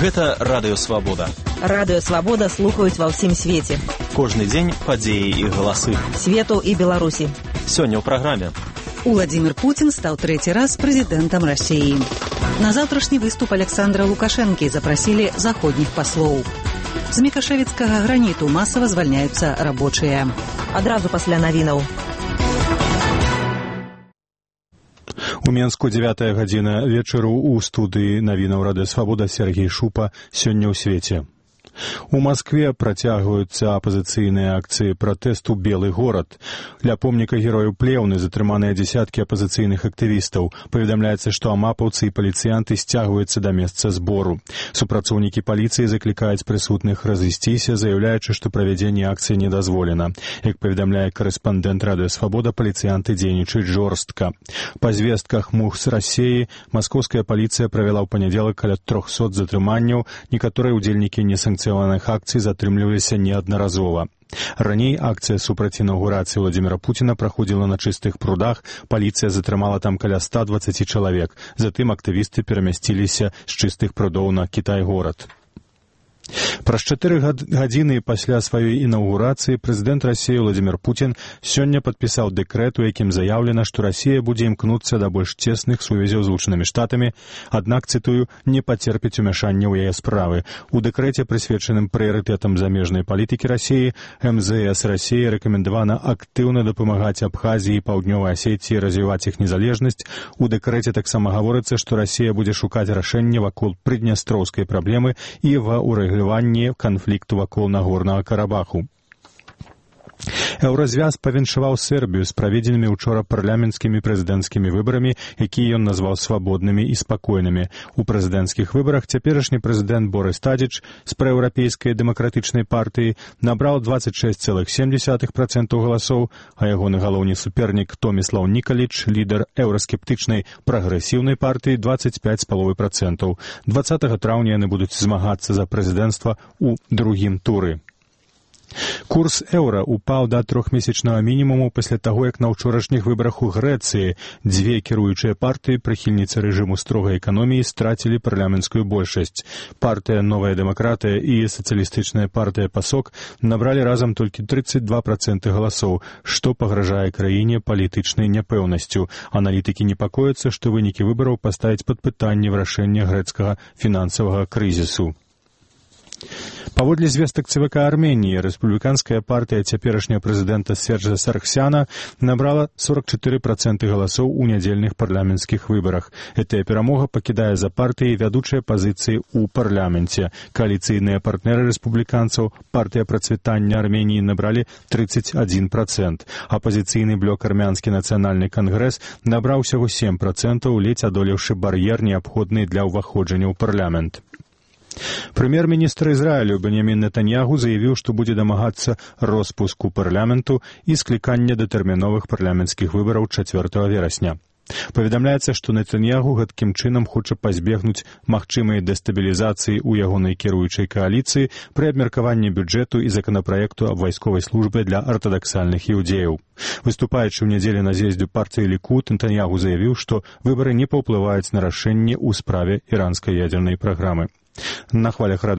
Гэта Радыё Свабода. Радыё Свабода слухаюць ва ўсім свеце. Кожны дзень падзеі і галасы. Свету і Беларусі. Сёння ў праграме. Владимир Путин стал третий раз президентом России. На завтрашний выступ Александра Лукашенки запросили заходних послов. З мікашевіцкага граніту масава звальняюцца рабочыя. Адразу пасля навінаў. У Менску 9 гадзіна вечару у студыі навінаў Радыё Свабода Сергей Шупа сёння ў свеце. У Москве працягваюцца апазіцыйныя акцыі пратэсту «Белый город». Ля помніка герояў Плеўны затрыманыя дзесяткі апазіцыйных актывістаў. Паведамляецца, што амапаўцы і паліцыянты сцягваюцца да месца збору. Супрацоўнікі паліцыі заклікаюць прысутных разысціся, заяўляючы, што правядзенне акцыі не дазволена. Як паведамляе корэспандэнт Радыё Свабода, паліцыянты дзейнічаюць жорстка. Па звестках МУХ з Расіі маскоўская паліцыя правяла ў панядзелак каля 300 затрыманняў, некаторыя ўдзельнікі несанкцыйных акцый затрымліваліся неаднаразова. Раней акцыя супраць інаўгурацыі Владимира Путина праходзіла на чыстых прудах, паліцыя затрымала там каля 120 чалавек. Затым актывісты перамясціліся з чыстых прудоў на Кітай-горад. Праз 4 гадзіны пасля сваёй інаўгурацыі прэзідэнт Расіі Владимир Путин сёння падпісаў дэкрэт, у якім заяўлена, што Расія будзе імкнуцца да больш цесных сувязяў з Злучанымі Штатамі, аднак, цытую, не пацерпіць умяшання ў яе справы. У дэкрэце, прысвечаным прыярытэтам замежнай палітыкі Расіі, МЗС Расіі рэкамендавана актыўна дапамагаць Абхазіі і Паўднёвай Асетіі развіваць іх незалежнасць. У дэкрэце таксама гаворыцца, што Расія будзе шукаць рашэнне вакол прыднястроўскай праблемы і ва ўрэгуляванні канфлікту вакол Нагорнага Карабаху. Еўразвяз павіншаваў Сербію з праведзенымі учора парламенцкімі прэзідэнцкімі выбарамі, якія ён назваў свабоднымі і спакойнымі. У прэзідэнцкіх выбарах цяперашні прэзідэнт Борис Тадзіч з праеўрапейскай дэмакратычнай партыі набраў 26,7% галасоў, а ягоны галоўны супернік Томіслаў Нікаліч, лідар еўраскептычнай прагрэсіўнай партыі, 25,5%. 20 траўня яны будуць змагацца за прэзідэнцтва ў другім туры. Курс еўра упаў да 3-месячнага мінімуму пасля таго, як на ўчорашніх выбарах у Грэцыі дзве кіруючыя партыі, прыхільніцы рэжыму строгай эканоміі, страцілі парламенцкую большасць. Партыя «Новая дэмакратыя» і сацыялістычная партыя «Пасок» набралі разам толькі 32% галасоў, што пагражае краіне палітычнай няпэўнасцю. Аналітыкі непакояцца, што вынікі выбараў паставяць пад пытанне вырашэння грэцкага фінансавага крызісу. Паводле звестак ЦВК Арменіі, рэспубліканская партыя цяперашняга прэзідэнта Сержа Сарксяна набрала 44% галасоў у нядзельных парламенцкіх выбарах. Гэтая перамога пакідае за партыяй вядучыя пазіцыі ў парламенце. Кааліцыйныя партнеры рэспубліканцаў, партыя працвітання Арменіі, набралі 31%. Апазіцыйны блок армянскі нацыянальны кангрэс набраў усяго 7%, ледзь адолеўшы бар'ер, неабходны для ўваходжання ў парламент. Прэм'ер-міністр Ізраілю Беньямін Нетаньягу заявіў, што будзе дамагацца роспуску парламенту і склікання датэрміновых парламенцкіх выбараў 4 верасня. Паведамляецца, што Нетаньягу гэткім чынам хоча пазбегнуць магчымай дэстабілізацыі ў ягонай кіруючай кааліцыі пры абмеркаванні бюджэту і законапраекту аб вайсковай службе для артадаксальных іўдзеяў. Выступаючы ў нядзелю на з'ездзе партыі Лікуд, Нетаньягу заявіў, што выбары не паўплываюць на рашэнне ў справе іранскай ядзернай праграмы. На хвалях